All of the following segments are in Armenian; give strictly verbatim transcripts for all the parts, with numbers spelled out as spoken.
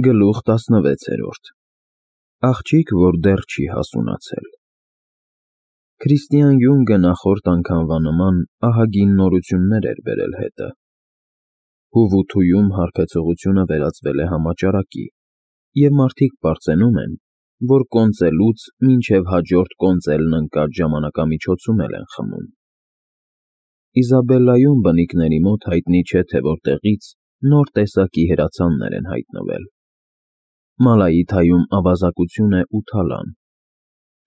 Գլուխ տասնվեցերորդ Աղջիկ, որ դեռ չի հասունացել։ Քրիստիան Յունգը նախորդ անգամվա նման ահագին նորություններ էր բերել հետը։ Հուվութույում հարբեցողությունը վերածվել է համաճարակի, և մարդիկ պարծենում են, որ կոնծելուց մինչև հաջորդ կոնծելն ընկած ժամանակամիջոցում էլ են խմում։ Իզաբելլայում բնիկների մոտ հայտնի չէ, թե որտեղից նոր տեսակի հրացաններ են հայտնվել։ Մալայիթայում ավազակություն է ու թալան։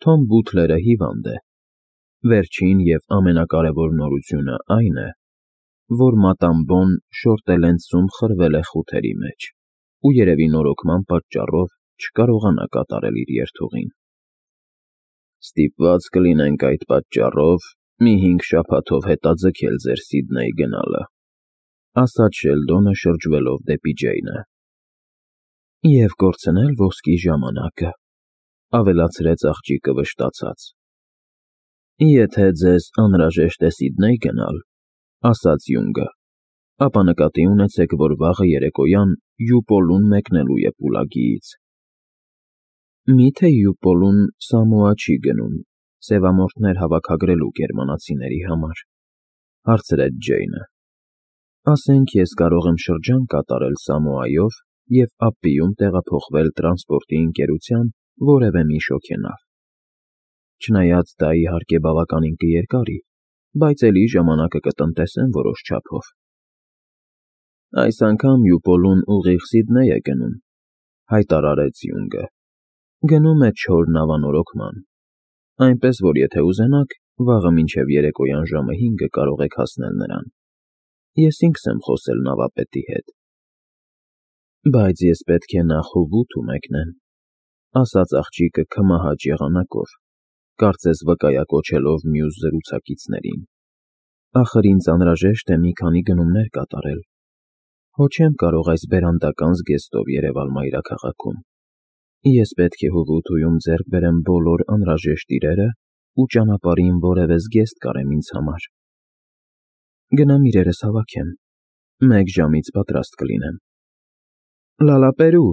Թոմ Բութլերը հիվանդ է։ Վերջին և ամենակարևոր նորությունը այն է, որ Մատամբոն Շորտելենցում խրվել է խութերի մեջ ու երևի նորոգման պատճառով չկարողանա կատարել իր երթուղին։ Ստիպված կլինենք այդ պատճառով մի հինգ շաբաթով հետաձգել ձեր Սիդնեյ գնալը, ասաց Շելդոնը շրջվելով դեպի Ջեյնը։ Եվ կորցնել ոսկի ժամանակը, ավելացրեց աղջիկը վշտացած։ Եթե ձեզ անհրաժեշտ է Սիդնեյ գնալ, ասաց Յունգը, ապա նկատի ունեցեք, որ վաղը երեկոյան Յուպոլուն մեկնելու է Պուլագիից։ Մի՞թե Յուպոլուն Սամոա չի գնում սևամորթներ հավաքագրելու գերմանացիների համար, հարցրեց Ջեյնը։ Ասենք ես կարող եմ շրջան կատարել Սամոայով և Ապպիում տեղափոխվել տրանսպորտի ընկերության որևէ մի շոգենավ։ Չնայած դա իհարկե բավականին կերկարի, բայց էլի ժամանակը կտնտեսեմ որոշ չափով։ Այս անգամ Յուպոլուն ուղիղ Սիդնեյ է գնում, հայտարարեց Յունգը։ Գնում է չոր նավանորոգման, այնպես որ եթե ուզենաք, վաղը մինչև երեկոյան ժամը հինգը կարող եք հասնել նրան։ Ես ինքս եմ խոսել նավապետի հետ։ Բայց ես պետք է նախ Հուվութու մեկնեմ, ասաց աղջիկը քմահաճ եղանակով, կարծես վկայակոչելով մյուս զրուցակիցներին։ Ախր ինձ անհրաժեշտ է մի քանի գնումներ կատարել։ Հո չեմ կարող այս բերանդական զգեստով երևալ մայրաքաղաքում։ Ես պետք է Հուվութույում ձեռք բերեմ բոլոր անհրաժեշտ իրերը ու ճանապարհին որևէ զգեստ կարեմ ինձ համար։ Գնամ իրերս հավաքեմ, մեկ ժամից պատրաստ կլինեմ։ Լալապերու,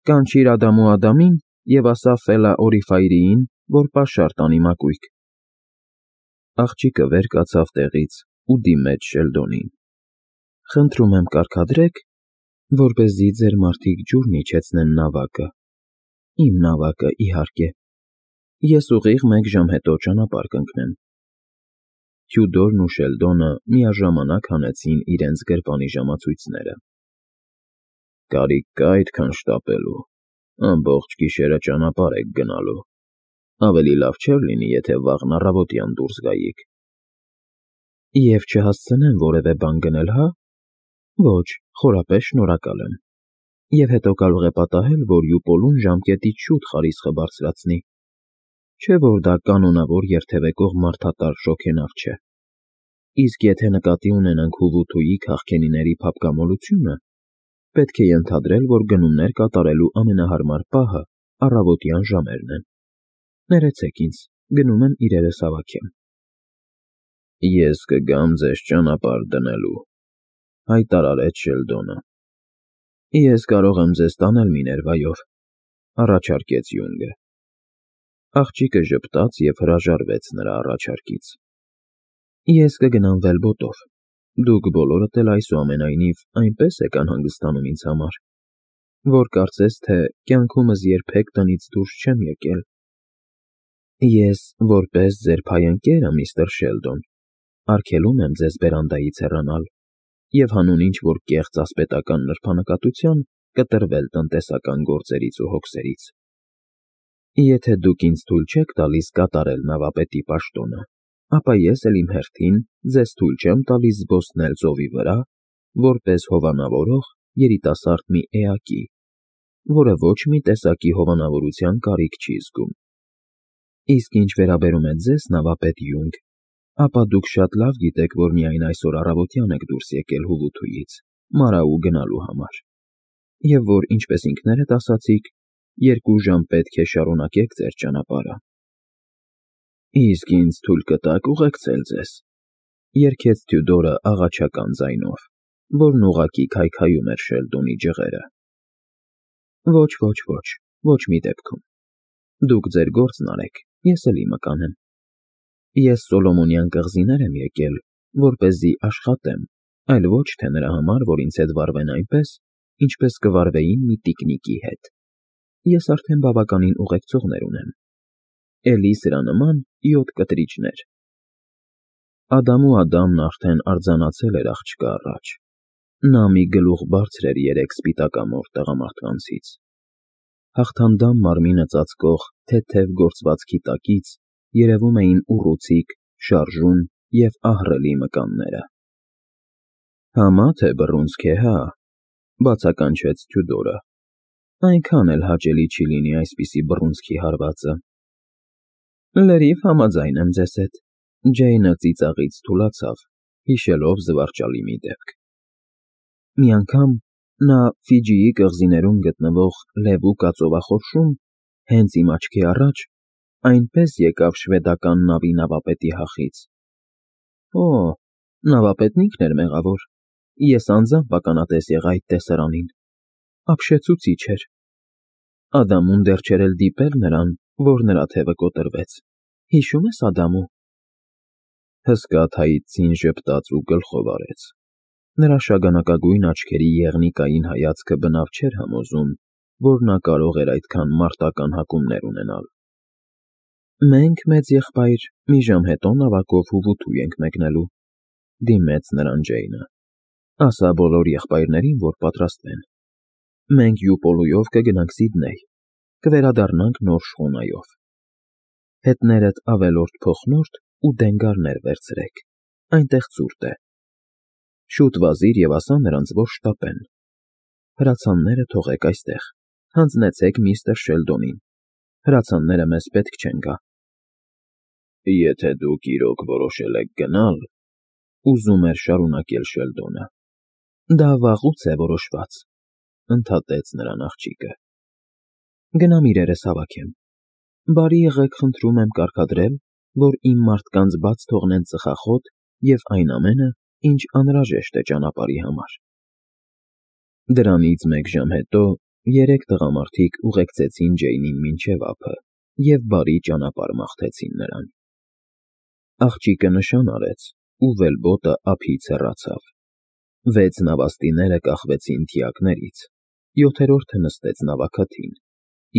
կանչիր Ադամու Ադամին և ասա Ֆելա Օրիֆայրիին, որ պաշար տանի մակույկ։ Աղջիկը վեր կացավ տեղից ու դիմեց Շելդոնին։ Խնդրում եմ կարգադրեք, որպեսզի ձեր մարդիկ ջուրն իջեցնեն նավակը։ Իմ նավակը, իհարկե։ Ես ուղիղ մեկ ժամ հետո ճանապարհ կընկնեմ։ Թյուդորն ու Շելդոնը միաժամանակ հանեցին իրենց գրպանի ժամացույցները։ Կարիք կա այդքան շտապելու, ամբողջ գիշերը ճանապարհ եք գնալու։ Ավելի լավ չէր լինի, եթե վաղն առավոտյան դուրս գայիք։ Եվ չհասցնեմ որևէ բան գնել, հա։ Ոչ, խորապես շնորհակալ եմ։ Եվ հետո կարող է պատահել, որ Յուպոլուն ժամկետից շուտ խարիսխը բարձրացնի։ Չէ՞ որ դա կանոնավոր երթևեկող մարդատար շոգենավ չէ։ Իսկ եթե նկատի ունենանք Հուվութուի քաղքենիների փափկամոլությունը, պետք է ենթադրել, որ գնումներ կատարելու ամենահարմար պահը առավոտյան ժամերն են։ Ներեցեք ինձ, գնում եմ իրերս հավաքեմ։ Ես կգամ ձեզ ճանապարհ դնելու, հայտարարեց Շելդոնը։ Ես կարող եմ ձեզ տանել Միներվայով, առաջարկեց Յունգը։ Աղջիկը ժպտաց և հրաժարվեց նրա առաջարկից։ Ես կգնամ վելբոտով։ Դուք բոլորդ էլ այսուամենայնիվ այնպես եք անհանգստանում ինձ համար, որ կարծես թե կյանքումս երբեք տնից դուրս չեմ եկել։ Ես, որպես ձեր փայընկերը, միստր Շելդոն, արգելում եմ ձեզ բերանդայից հեռանալ և հանուն ինչ-որ կեղծ ասպետական նրբանկատության կտրվել տնտեսական գործերից ու հոգսերից։ Եթե դուք ինձ թույլ չեք տալիս կատարել նավապետի պաշտոնը, ապա ես էլ իմ հերթին ձեզ թույլ չեմ տալիս զբոսնել ծովի վրա, որպես հովանավորող երիտասարդ մի էակի, որը ոչ մի տեսակի հովանավորության կարիք չի զգում։ Իսկ ինչ վերաբերում է ձեզ, նավապետ Յունգ, ապա դուք շատ լավ գիտեք, որ միայն այսօր առավոտյան եք դուրս եկել Հուվութույից Մարաու գնալու համար, և որ, ինչպես ինքներդ ասացիք, երկու ժամ պետք է շարունակեք ձեր ճանապարհը։ Իսկ ինձ թույլ կտա՞ք ուղեկցել ձեզ, երգեց Թյուդորը աղաչական ձայնով, որն ուղղակի քայքայում էր Շելդոնի ջղերը։ Ոչ, ոչ, ոչ, ոչ մի դեպքում։ Դուք ձեր գործն արեք, ես էլ իմը կանեմ։ Ես Սոլոմոնյան կղզիներ եմ եկել, որպեսզի աշխատեմ, այլ ոչ թե նրա համար, որ ինձ հետ վարվեն այնպես, ինչպես կվարվեին մի տիկնիկի հետ։ Ես արդեն բավականին ուղեկցողներ ունեմ։ Էլի սրա նման յոթ կտրիճներ։ Ադամու Ադամն արդեն արձանացել էր աղջկա առաջ։ Նա մի գլուխ բարձր էր երեք սպիտակամորթ տղամարդկանցից։ Հաղթանդամ մարմինը ծածկող թեթև գործվածքի տակից երևում էին ուռուցիկ, շարժուն և ահռելի մկանները։ Համա թե բռունցք է, հա, բացականչեց Թյուդորը։ Այնքան էլ հաճելի չի լինի այսպիսի բռունցքի հարվածը։ Լրիվ համաձայն եմ ձեզ հետ, Ջեյնը ծիծաղից թուլացավ, հիշելով զվարճալի մի դեպք։ Մի անգամ նա Ֆիջիի կղզիներում գտնվող Լեվու կածովախորշում, հենց իմ աչքի առաջ, այնպես եկավ շվեդական նավի նավապետի հախից։ Օ, նավապետն ինքն էր մեղավոր, ես անձամբ ականատես եղա այդ տեսարանին, ապշեցուցիչ էր։ Ադամուն դեռ չէր էլ դիպել նրան, որ նրա թևը կոտրվեց, հիշում ես Ադամու։ Հսկա թայծին ժպտաց ու գլխով արեց։ Նրա շագանակագույն աչքերի եղնիկային հայացքը բնավ չէր համոզում, որ նա կարող էր այդքան մարտական հակումներ ունենալ։ Մենք, մեծ եղբայր, մի ժամ հետո նավակով Հուվութու ենք մեկնելու, դիմեց նրան Ջեյնը։ Ասա բոլոր եղբայրներին, որ պատրաստվեն։ Մենք Յուպոլուով կգնանք Սիդնեյ, կվերադառնանք նոր շխունայով։ Հետներդ ավելորդ փոխնորդ ու դենգարներ վերցրեք, այնտեղ ցուրտ է։ Շուտ վազիր և ասա նրանց, որ շտապեն։ Հրացանները թողեք այստեղ, հանձնեցեք միստր Շելդոնին, հրացանները մեզ պետք չեն գա։ Եթե դուք իրոք որոշել եք գնալ, ուզում էր շարունակել Շելդոնը։ Դա վաղուց է որոշված, ընդհատեց նրան աղջիկը։ Գնամ իրերս հավաքեմ։ Բարի եղեք, խնդրում եմ կարգադրել, որ իմ մարդկանց բաց թողնեն ծխախոտ և այն ամենը, ինչ անհրաժեշտ է ճանապարհի համար։ Դրանից մեկ ժամ հետո երեք տղամարդիկ ուղեկցեցին Ջեյնին մինչև ափը և բարի ճանապարհ մաղթեցին նրան։ Աղջիկը նշան արեց, ու վելբոտը ափից հեռացավ։ Վեց նավաստիները կախվեցին թիակներից, յոթերորդը նստեց նավաքթին,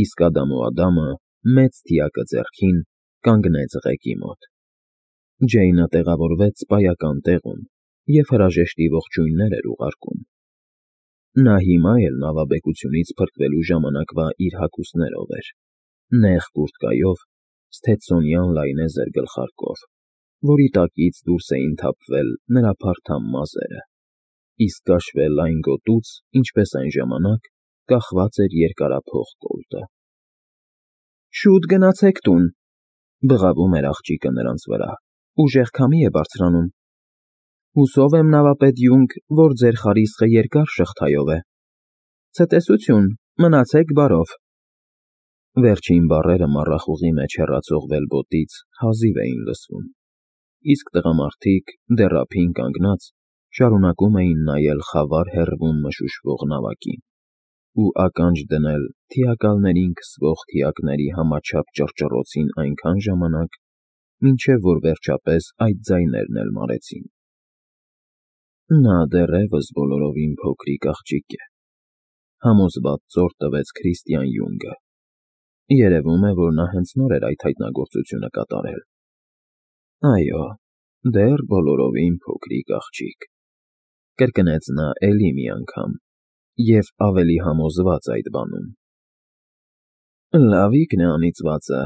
իսկ Ադամու Ադամը, մեծ թիակը ձեռքին, կանգնեց ղեկի մոտ։ Ջեյնը տեղավորվեց սպայական տեղում և հրաժեշտի ողջույններ էր ուղարկում։ Նա հիմա էլ նավաբեկությունից փրկվելու ժամանակվա իր հագուստներով էր, նեղ կուրտկայով, սթեցոնյան լայնեզր գլխարկով, որի տակից դուրս էին թափվել նրա փարթամ մազերը, իսկ կաշվե լայն գոտուց, ինչպես այն ժամանակ, կախված էր երկարափող կոլտը։ Շուտ գնացեք տուն, բղավում էր աղջիկը նրանց վրա, ուժեղ քամի է բարձրանում։ Հուսով եմ, նավապետ Յունգ, որ ձեր խարիսխը երկար շղթայով է։ Ցտեսություն, մնացեք բարով։ Վերջին բառերը մառախուղի մեջ հեռացող վելբոտից հազիվ էին լսվում, իսկ տղամարդիկ, դեռ ափին կանգնած, շարունակում էին նայել խավար հեռվում մշուշվող նավակին ու ականջ դնել թիակալներին քսվող թիակների համաչափ ճռճռոցին այնքան ժամանակ, մինչև որ վերջապես այդ ձայներն էլ մարեցին։ Նա դեռևս բոլորովին փոքրիկ աղջիկ է, համոզված ծոր տվեց Քրիստիան Յունգը։ Երևում է, որ նա հենց նոր էր այդ հայտնագործությունը կատարել։ Այո, դեռ բոլորովին փոքրիկ աղջիկ, կրկնեց նա էլի մի անգամ և ավելի համոզված այդ բանում։ Լավիկն է անիծվածը,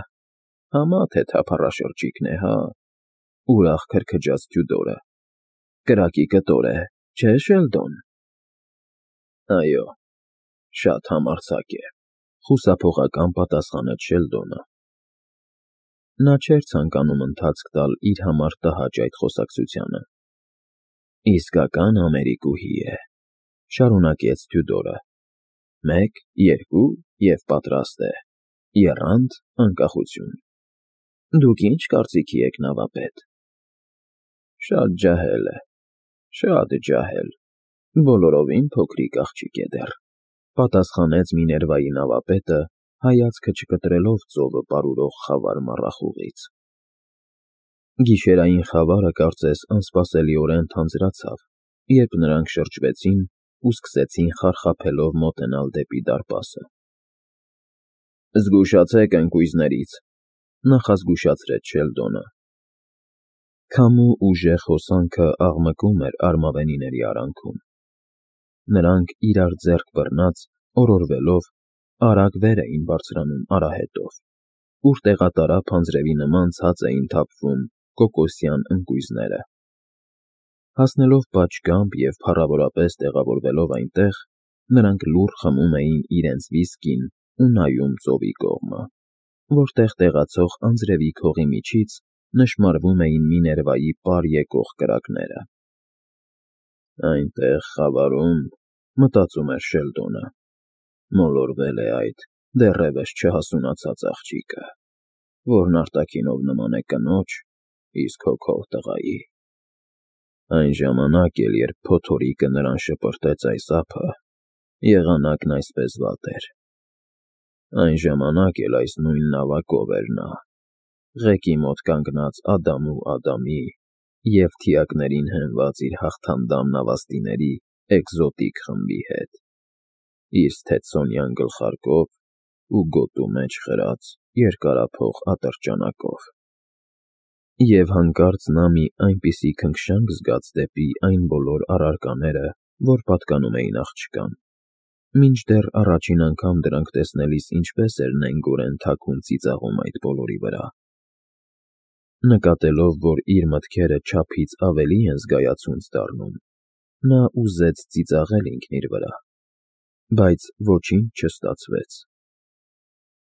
համա թե թափառաշրջիկն է, հա, ուրախ քրքջաց Թյուդորը։ Կրակի կտոր է, չէ՞ Շելդոն։ Այո, շատ համարձակ է, խուսափողական պատասխանեց Շելդոնը։ Նա չէր ցանկանում ընթացք տալ իր համար տհաճ այդ խոսակցությանը։ Իսկական ամերիկուհի է, շարունակեց Թյուդորը։ Մեկ, երկու և պատրաստ է, եռանդ անկախություն։ Դուք ինչ կարծիքի եք, նավապետ։ Շատ ջահել է, շատ ջահել, բոլորովին փոքրիկ աղջիկ է դեռ, Պատասխանեց Միներվայի նավապետը, հայացքը չկտրելով ծովը պարուրող խավար մառախուղից։ Գիշերային խավարը կարծես անսպասելիորեն թանձրացավ, երբ նրանք շրջվեցին ու սկսեցին խարխափելով մոտենալ դեպի դարպասը։ «Զգուշացեք ընկույզներից», նախազգուշացրեց Շելդոնը։ Քամու ուժեղ հոսանքը աղմկում էր արմավենիների արանքում։ Նրանք, իրար ձեռք բռնած, օրորվելով, արագ վեր էին բարձրանում արահետով, ուր տեղատարափ անձրևի նման ցած էին թափվում կոկոսյան ընկույզները։ Հասնելով պատշգամբ և փառավորապես տեղավորվելով այնտեղ, նրանք լուռ խմում էին իրենց վիսկին ու նայում ծովի կողմը, որտեղ տեղացող անձրևի քողի միջից նշմարվում էին Միներվայի պար եկող կրակները։ «Այնտեղ խավարում, — մտածում էր Շելդոնը, — մոլորվել է այդ դեռևս չհասունացած աղջիկը, որն արտաքինով նման է կնոջ, իսկ հոգով տղայի։ Այն ժամանակ էլ, երբ փոթորիկը նրան շպրտեց այս ափը, եղանակն այսպես վատ էր։ Այն ժամանակ էլ այս նույն նավակով էր նա, ղեկի մոտ կանգնած Ադամ ու Ադամի և թիակներին հենված իր հաղթանդամ նավաստիների էկզոտիկ խմբի հետ, իր ստեցծոնյան գլխարկով ու գոտու մեջ խրած երկարափող ատրճանակով։ Եվ հանկարծ նա մի այնպիսի քնքշանք զգաց դեպի այն բոլոր առարկաները, որ պատկանում էին աղջկան, մինչդեռ առաջին անգամ դրանք տեսնելիս ինչպես էր նենգորեն թաքուն ծիծաղում այդ բոլորի վրա։ Նկատելով, որ իր մտքերը չափից ավելի են զգայացունց դառնում, նա ուզեց ծիծաղել ինքն իր վրա, բայց ոչինչ չստացվեց։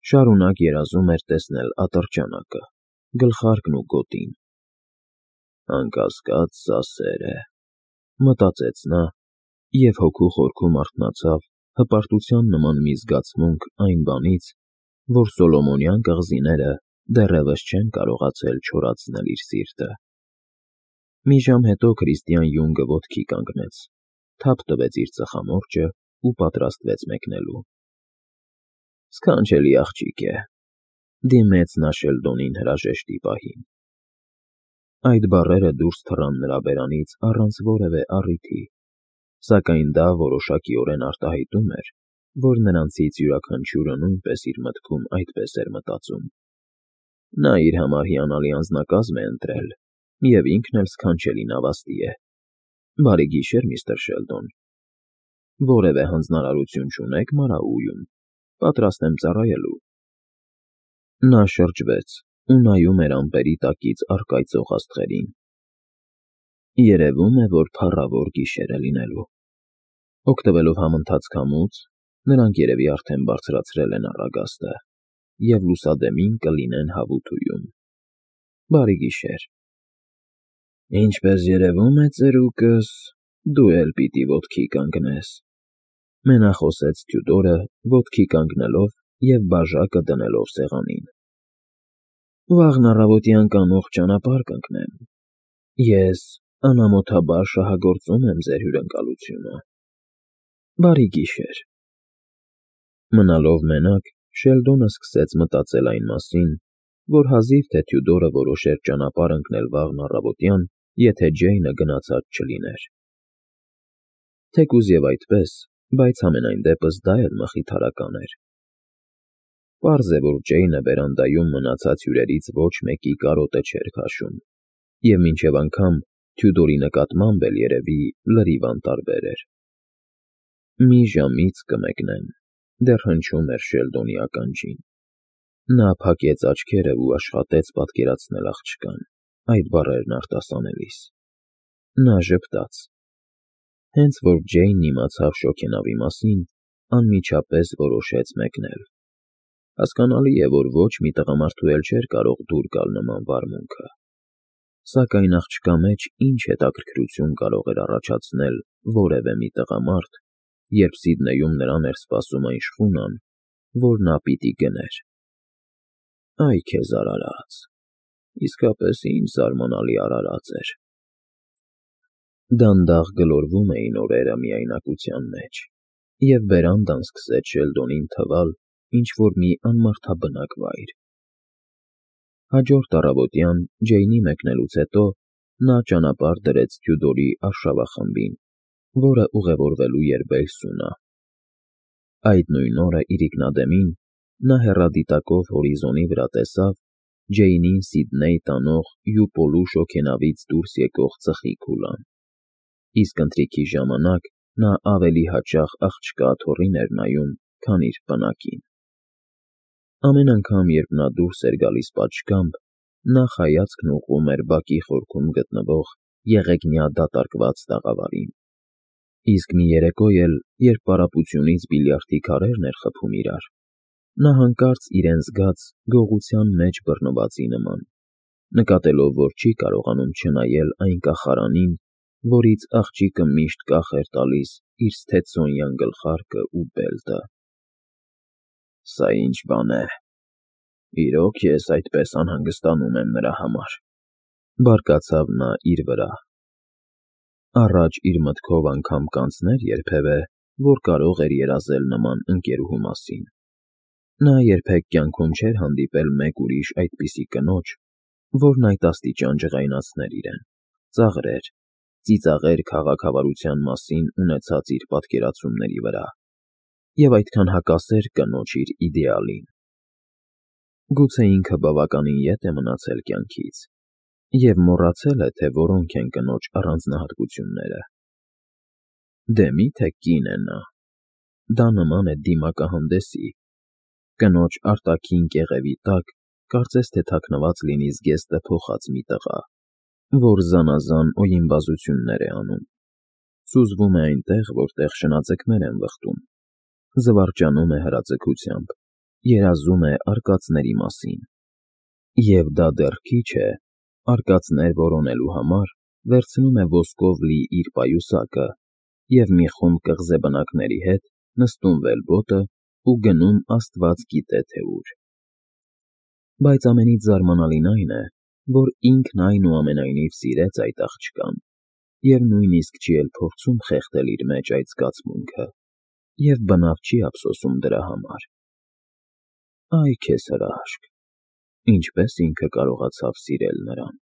Շարունակ երազում էր տեսնել ատրճանակը, գլխարկն ու գոտին։ «Անկասկած, սա սեր է», — մտածեց նա, և հոգու խորքում արթնացավ հպարտության նման մի զգացմունք այն բանից, որ Սոլոմոնյան կղզիները դեռևս չեն կարողացել չորացնել իր սիրտը։ Մի ժամ հետո Քրիստիան Յունգը ոտքի կանգնեց, թափ տվեց իր ծխամորճը ու պատրաստվեց մեկնելու։ «Սքանչելի աղջիկ է», — դիմեց նա Շելդոնին հրաժեշտի պահին։ Այդ բառերը դուրս թռան նրա բերանից առանց որևէ առիթի, սակայն դա որոշակիորեն արտահայտում էր, որ նրանցից յուրաքանչյուրը նույնպես իր մտքում այդպես էր մտածում։ Նա իր համար հիանալի անձնակազմ է ընտրել, և ինքն էլ սքանչելի նավաստի է։ Բարի գիշեր, միստր Շելդոն։ Որևէ հանձնարարություն չունեք Մարաուում, պատրաստ եմ ծառայելու։ Նա շրջվեց ու նայում էր ամպերի տակից առկայծող աստղերին։ Երևում է, որ փառավոր գիշեր է լինելու։ Օգտվելով համընթաց քամուց, նրանք երևի արդեն բարձրացրել են առագաստը և լուսադեմին կլինեն հավութում։ Բարի գիշեր։ Ինչպես երևում է, ծերուկս, դու էլ պիտի ոտքի կանգնես, ֊ մենախոսեց Թյուդորը, ոտքի կանգնելով և բաժակը դնելով սեղանին։ Վաղն առավոտյան կանուխ ճանապարհ կընկնեմ։ Ես անամոթաբար շահագործում եմ ձեր հյուրընկալությունը։ Բարի գիշեր։ Մնալով մենակ, Շելդոնը սկսեց մտածել այն մասին, որ հազիվ թե Թյուդորը որոշեր ճանապարհ ընկնել վաղն առավոտյան, եթե Ջեյնը գնացած չլիներ։ Թեկուզ և այդպես, բայց համենայն դեպս դա էլ մխիթարական էր։ Պարզ է, որ Ջեյնը բերանդայում մնացած հյուրերից ոչ մեկի կարոտը չէր քաշում, և մինչև անգամ Թյուդորի նկատմամբ էլ երևի լրիվ անտարբեր էր։ Մի ժամից կմեկնեմ, դեռ հնչում էր Շելդոնի ականջին։ Նա փակեց աչքերը ու աշխատեց պատկերացնել աղջկան, այդ բառերն արտասանելիս։ Նա ժպտաց։ Հենց որ Ջեյնն իմացավ շոգենավի մասին, անմիջապես որոշեց մեկնել։ Հասկանալի է, որ ոչ մի տղամարդու էլ չէր կարող դուր գալ նման վարմունքը։ Սակայն աղջկա մեջ ինչ հետաքրքրություն կարող էր առաջացնել որևէ մի տղամարդ, երբ Սիդնեյում նրան էր սպասում այն շխունան, որ նա պիտի գներ։ Այ քեզ արարած, իսկապես ինչ զարմանալի արարած էր։ Դանդաղ գլորվում էին օրերը միայնակության մեջ, և բերանդան սկսեց Շելդոնին թվալ ինչ-որ մի անմարդաբնակ վայր։ Հաջորդ առավոտյան Ջեյնի մեկնելուց հետո նա ճանապարհ դրեց Թյուդորի արշավախմբին, որը ուղևորվելու էր Բելսունա։ Այդ նույն օրը իրիկնադեմին նա հեռադիտակով հորիզոնի վրա տեսավ Ջեյնին Սիդնեյ տանող Յուպոլու շոգենավից դուրս եկող ծխի քուլան, իսկ ընթրիքի ժամանակ նա ավելի հաճախ աղջկա աթոռին էր նայում, քան իր պնակին։ Ամեն անգամ, երբ նա դուրս էր գալիս պատշգամբ, նախ հայացքն ուղղում էր բակի խորքում գտնվող եղեգնյա դատարկված տաղավարին, իսկ մի երեկո էլ, երբ պարապությունից բիլիարդի քարերն էր խփում իրար, նա հանկարծ իրեն զգաց գողության մեջ բռնվածի նման, նկատելով, որ չի կարողանում չնայել այն կախարանին, որից աղջիկը միշտ կախ էր տալիս իր ստեցոնյան գլխարկն ու բելտը։ «Սա ինչ բան է, իրոք ես այդպես անհանգստանում եմ նրա համար», բարկացավ նա իր վրա։ Առաջ իր մտքով անգամ կանցներ երբևէ, որ կարող էր երազել նման ընկերուհու մասին։ Նա երբեք կյանքում չէր հանդիպել մեկ ուրիշ այդպիսի կնոջ, որն այդ աստիճան ջղայնացներ իրեն, ծաղրեր, ծիծաղեր քաղաքավարության մասին ունեցած իր պատկերացումների վրա և այդքան հակասեր կնոջ իր իդեալին։ Գուցե ինքը բավականին ետ է մնացել կյանքից և մոռացել է, թե որոնք են կնոջ առանձնահատկությունները։ Դե մի՞թե կին է նա։ Դա նման է դիմակահանդեսի, կնոջ արտաքին կեղևի տակ կարծես թե թաքնված լինի զգեստը փոխած մի տղա, որ զանազան օյիմբազություններ է անում, սուզվում է այնտեղ, որտեղ շնաձկներ են վխտում, զվարճանում է հրաձգությամբ, երազում է արկածների մասին։ Եվ դա դեռ քիչ է, արկածներ որոնելու համար վերցնում է ոսկով լի իր պայուսակը և մի խումբ կղզեբնակների հետ նստում վելբոտը ու գնում աստված գիտե թե ուր։ Բայց ամենից զարմանալին այն է, որ ինքն այնուամենայնիվ սիրեց այդ աղջկան և նույնիսկ չի էլ փորձում խեղդել իր մեջ այդ զգացմունքը և բնավ չի ափսոսում դրա համար։ Այ քեզ հրաշք, ինչպես ինքը կարողացավ սիրել նրան։